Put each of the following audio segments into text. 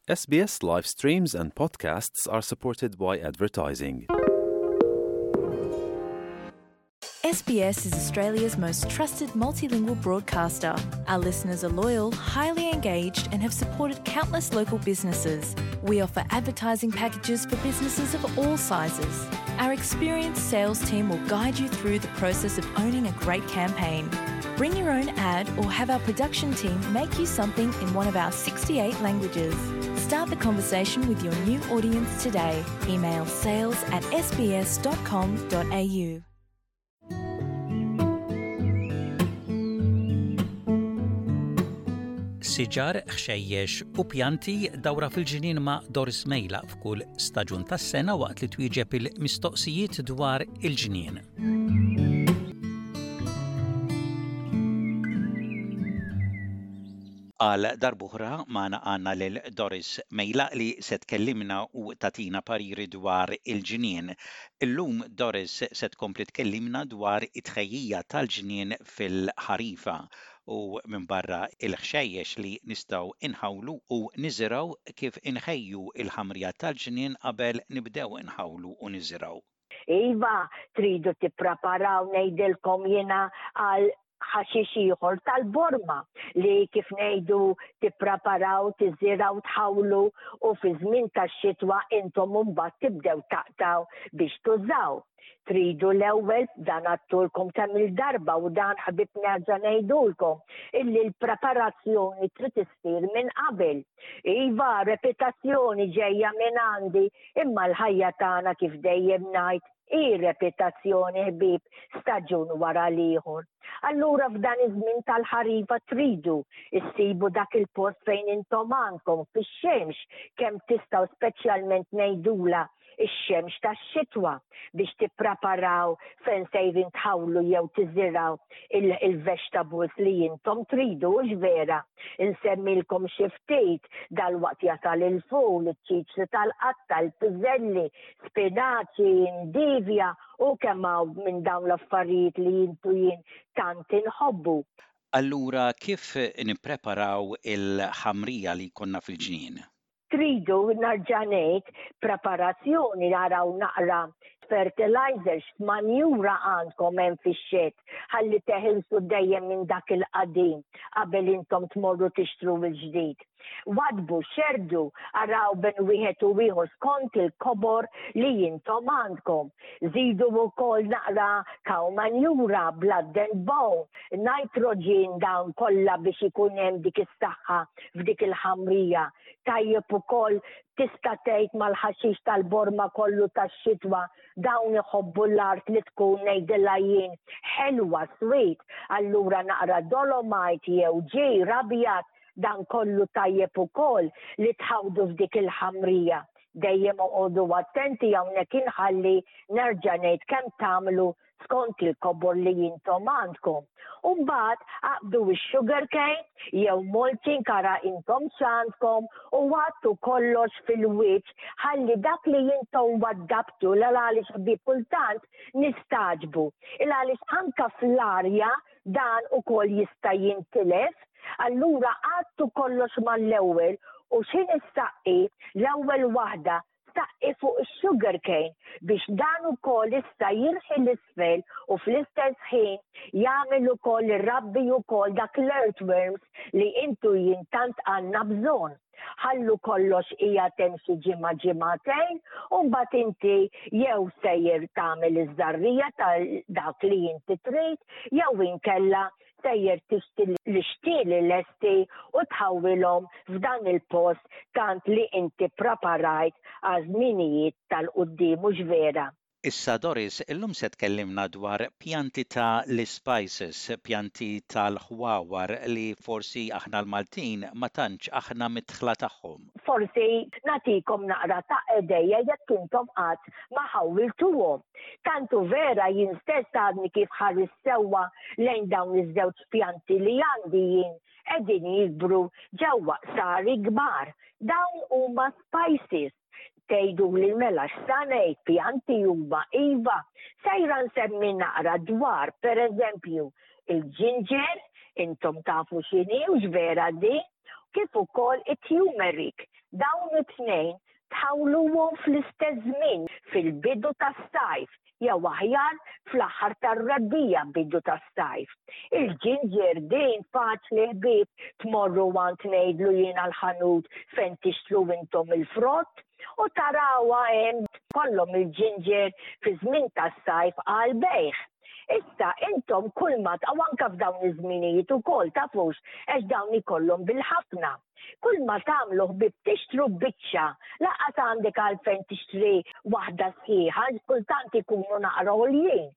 SBS live streams and podcasts are supported by advertising. SBS is Australia's most trusted multilingual broadcaster. Our listeners are loyal, highly engaged, and have supported countless local businesses. We offer advertising packages for businesses of all sizes. Our experienced sales team will guide you through the process of owning a great campaign. Bring your own ad or have our production team make you something in one of our 68 languages. Start the conversation with your new audience today. Email sales at sbs.com.au. Siġar, ħxejjex u pjanti dawra fil-ġnien ma' Doris Mejla f'kull staġun tas-sena waqt li twieġeb il-mistoqsijiet dwar il-ġnien. Għal darb'oħra magħna għandna lil Doris Mejlaq li se tkellimna u tagħtina pariri dwar il-ġnien. Illum Doris se tkompli tkellimna dwar it-tħejjija tal-ġnien fil-ħarifa u minbarra il-ħxejjex li nistgħu inħawlu u niżirgħu kif inħejju l-ħamrija tal-ġnien qabel nibdew inħawlu u niżirgħu. Iva, tridu tippreparaw ngħidilkom jiena għal ħaxix ieħor tal-borma li kif ngħidu tippreparaw, tiżirgħu, tħawlu u fi żmien tax-xitwa intom imbagħad tibdew taqtgħu biex tużaw. Tridu l-ewwel dan għadtulkom kemm il-darba u dan ħbieb nerġa' ngħidulkom illi l-preparazzjoni trid issir minn qabel. Iva, repitazzjoni ġejja minn għandi imma l-ħajja tagħna kif dejjem ngħid hi repitazzjoni ħbieb staġun wara l-ieħor. Allura f'dan iż-żmien tal-ħarifa tridu issibu dak il-post fejn intom għandkom fix-xemx kemm tistgħu speċjalment ngħidula ix-xemx tax-xitwa biex tippreparaw fejn sejrin tħawlu jew tiżirgħu il-vegetables li intom tridu hux vera? Insemmilkom xi ftit dalwaqt jasal il-ful, iċ-ċiċri tal-qatta, il-piżelli, spinaċi, indivja u kemm hawn minn dawn l-affarijiet li intu jien tant inħobbu. Allura kif nippreparaw il-ħamrija li jkollna fil-ġnien? Tridu, narġa' ngħid, preparazzjoni araw naqra fertilizer x'manjura għandkom hemm fix-xed ħalli teħilsu dejjem minn dak il-qadim qabel intom tmorru tixtru l-ġdid. Waddbu, xerrdu, araw bejn wieħed u ieħor skont il-kobor li intom għandkom. Żidu wkoll naqra cow manjura, blood and bone, nitrogen dawn kollha biex ikun hemm dik is-saħħa f'dik il-ħamrija. Tajjeb ukoll tista' tgħid mal-ħaxix tal-borma kollu tax-xitwa dawn iħobbu l-art li tkun ngħidilha jien ħelwa sweet, allura naqra dolomite jew ġir abjad dan kollu tajjeb ukoll li tħawdu f'dik il-ħamrija. Dejjem oqogħdu attenti hawnhekk inħalli nerġa' ngħid kemm tagħmlu skont il-kobor li intom għandkom. U mbagħad aqbdu x-sugar cane jew mulching ara intom x'għandkom u għattu kollox fil-wiċċ ħalli dak li intom waddabtu l għaliex ħbieb kultant nistagħġbu. Il għaliex anka fl-arja dan ukoll jista' jintilef, allura għattu kollox mal-ewwel u x'ħin issaqqi l-ewwel waħda saqqi fuq is-sugar cane biex dan ukoll issa jirħi 'l isfel u fl-istess ħin jagħmel ukoll irabbi ukoll dak l-earthworms li intu jien tant għandna bżonn. Ħallu kollox qiegħed hemm xi ġimgħa ġimgħatejn u mbagħad inti jew sejjer tagħmel iż-żarrija ta' dak li inti trid jew inkella sejjer tixtri l-ixtieli lesti u tħawwilhom f'dan il-post tant li inti ppraparajt għaż-żminijiet tal-quddiem hux vera? Issa Doris, illum se tkellimna dwar pjanti ta' l-ispices, pjanti tal-ħwawar li forsi aħna l-Maltin ma tantx aħna midħla tagħhom. Forsi nagħtikom naqra ta' idea jekk intom qatt ma ħawwiltuhom. Tant hu vera jien stess għadni kif ħarist sewwa lejn dawn iż-żewġ pjanti li għandi jien qegħdin jikbru ġewwa qsari kbar. Dawn huma spices. Tgħiduli mela x'sa ngħid pjanti huma iva. Sejra nsemmi naqra dwar pereżempju il-ġinġer, intom tafu x'inhi hux vera din, kif ukoll it-turmeric. Dawn it-tnejn tħawluhom fl-istess żmien fil-bidu tas-sajf jew aħjar fl-aħħar tar-rebbiegħa bidu tas-sajf. Il-ġinġer din faċli ħbieb tmorru għand ngħidlu jiena l-ħanut fejn tixtru intom il-frott u tarawha hemm kollhom il-ġinġer fi żmien tas-sajf għal bejgħ. Issa intom kull ma u anke f'dawn iż-żminijiet ukoll tafux għax dawn ikollhom bil-ħafna. Kull ma tagħmlu ħbieb tixtru biċċa, lanqas għandek għalfejn tixtri waħda sħiħa, kultant ikunu naqra għoljin.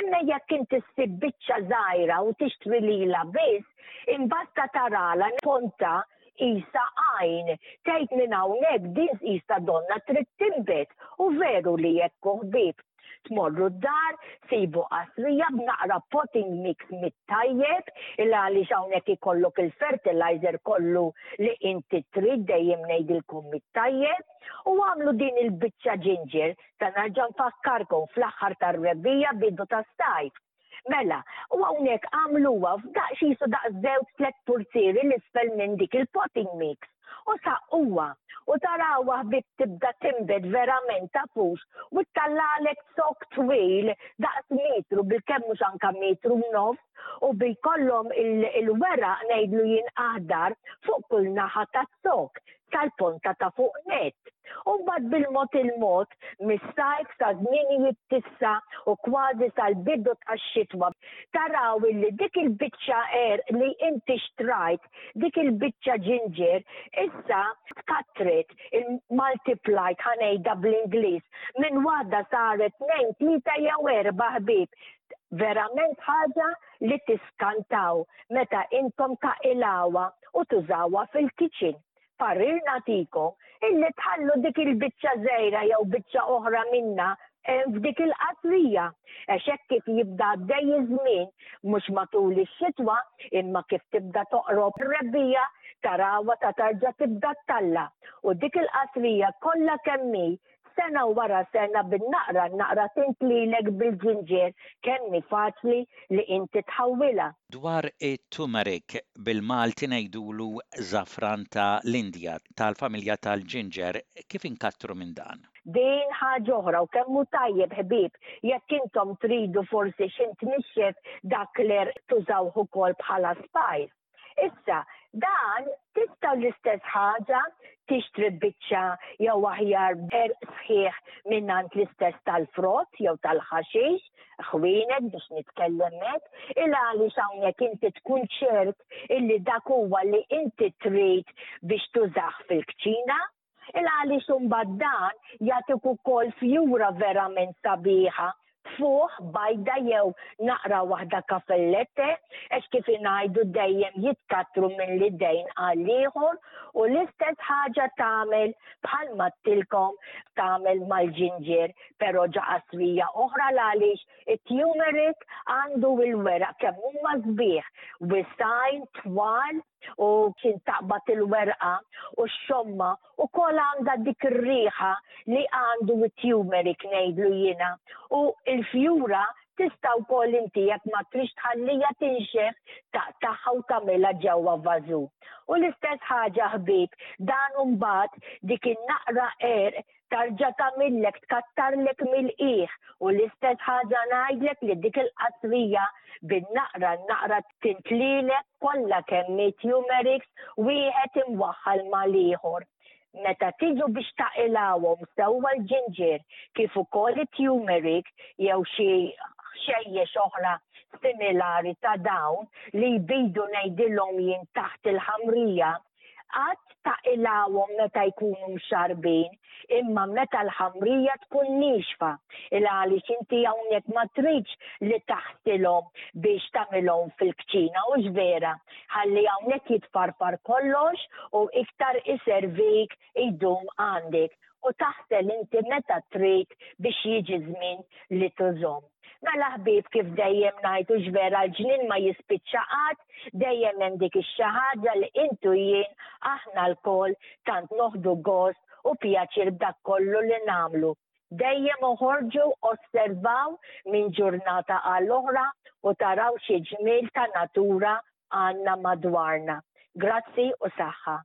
Imma jekk inti ssib biċċa żgħira u tixtri lilha biss, imbasta tarala ponta qisha għajn. Tgħid minn hawnhekk din qisha donna trid tinbet u veru li hekk hu ħbieb. Tmorru d-dar, sibu qasrija b'naqra potting mix mit-tajjeb, il għaliex hawnhekk ikollok il-fertilizer kollu li inti trid dejjem ngħidilkom mit-tajjeb, u għamlu din il-biċċa ginger, ta' nerġa' nfakkarkom fl-aħħar tar-rebbiegħa bidu tas-sajf. Mela, u hawnhekk għamluha f'daqs qisu daqs żewġ tlett purzieri 'l isfel minn dik il-potting mix u saqquha u tarawha ħbieb tibda tinbet verament tafux u ttallagħlek zokk twil daqs metru bilkemm mhux anke metru u nofs u bi jkollhom il-weraq ngħidlu jien aħdar fuq kull naħa taz-zokk sal-ponta ta' fuq nett. U mbagħad bil-mod il-mod, mis-sajf sa żminijiet t'issa u kważi sal-bidu tax-xitwa, taraw illi dik il-biċċa għerq li inti xtrajt, dik il-biċċa ġinġer, issa tkattret, il-multiplied ħa ngħidha bl-Ingliż, minn waħda saret tnejn, tlieta jew erbgħa ħbieb. Verament ħaġa li tiskantaw meta intom taqilgħuha u tużawha fil-kitchen. Parir nagħtikom illi tħallu dik il-biċċa żgħira jew biċċa oħra minnha hemm f'dik il-qasrija għax hekk kif jibda għaddej iż-żmien mhux matul ix-xitwa imma kif tibda toqrob ir-rebbiegħa tarawha ta' tarġa' tibda ttalla' u dik il-qasrija kollha kemm hi Sena wara sena bin-naqra n-naqra tintlilek bil-ġinġier kemm hi faċli li inti tħawwilha. Dwar it-turmeric, bil-Malti ngħidulu żafran ta' l-Indja, tal-familja tal-ġinġer, kif inkattru minn dan? Din ħaġa oħra u kemm hu tajjeb ħbieb jekk intom tridu forsi xi tnixxef dak l-għerq tużawh ukoll bħala spice. Issa, dan tistgħu l-istess ħaġa tixtri biċċa jew aħjar għerq sħiħ mingħand l-istess tal-frott jew tal-ħaxix, ħwienet biex nitkellem hekk, il għaliex hawnhekk inti tkun ċert illi dak huwa li inti trid biex tużah fil-kċina. Il għaliex imbagħad dan jagħtik ukoll fjura verament sabiħa tfuħ bajda jew naqra waħda kafellette għax kif ingħidu dejjem jitkattru minn l-idejn għal ieħor u l-istess ħaġa tagħmel bħal mattilkom tagħmel mal-ġinġer però ġa qasrija oħra l-għaliex it-turmeric għandu il-weraq kemm huma sbieħ wisajn twal u kien taqbad il-werqa u x-xomma u kol għandha dik ir-riħa li għandu it-turmeric ngħidlu jiena. U l-fjura tista' wkoll inti jekk ma trix tħallija tinxef taqtagħha u tagħmilha ġewwa vażu. U l-istess ħaġa ħbieb, dan imbagħad dik in-naqra għerq tarġa' tagħmillek tkattarlek mill-qiegħ u l-istess ħaġa ngħidlek li dik il-qasrija bin-naqra n-naqra tintlilek kollha kemm hi tumerics wieħed imwaħħal mal-ieħor. Meta tiġu biex taqilgħuhom sewwa l-ġinġier kif ukoll it-tumeric jew xi ħxejjex oħra similari ta' dawn li jbidu ngħidilhom jien taħt il-ħamrija, Qatt taqilgħuhom meta jkunu mxarrbin, imma meta l-ħamrija tkun niexfa, il għaliex inti hawnhekk ma tridx li taħsilhom biex tagħmilhom fil-kċina, hux vera? Ħalli hawnhekk jitfarfar kollox u iktar iservik jdum għandek u taħsel inti meta trid biex jiġi żmien li tużhom. Mela ħbieb kif dejjem ngħid hux vera l-ġnien ma jispiċċa qatt, dejjem hemm dik ix-xi ħaġa li int u jien aħna lkoll tant noħdu gost u pjaċir b'dak kollu li nagħmlu. Dejjem oħorġu osservaw minn ġurnata għal oħra u taraw xi ġmiel ta' natura għandna madwarna. Grazzi u saħħa.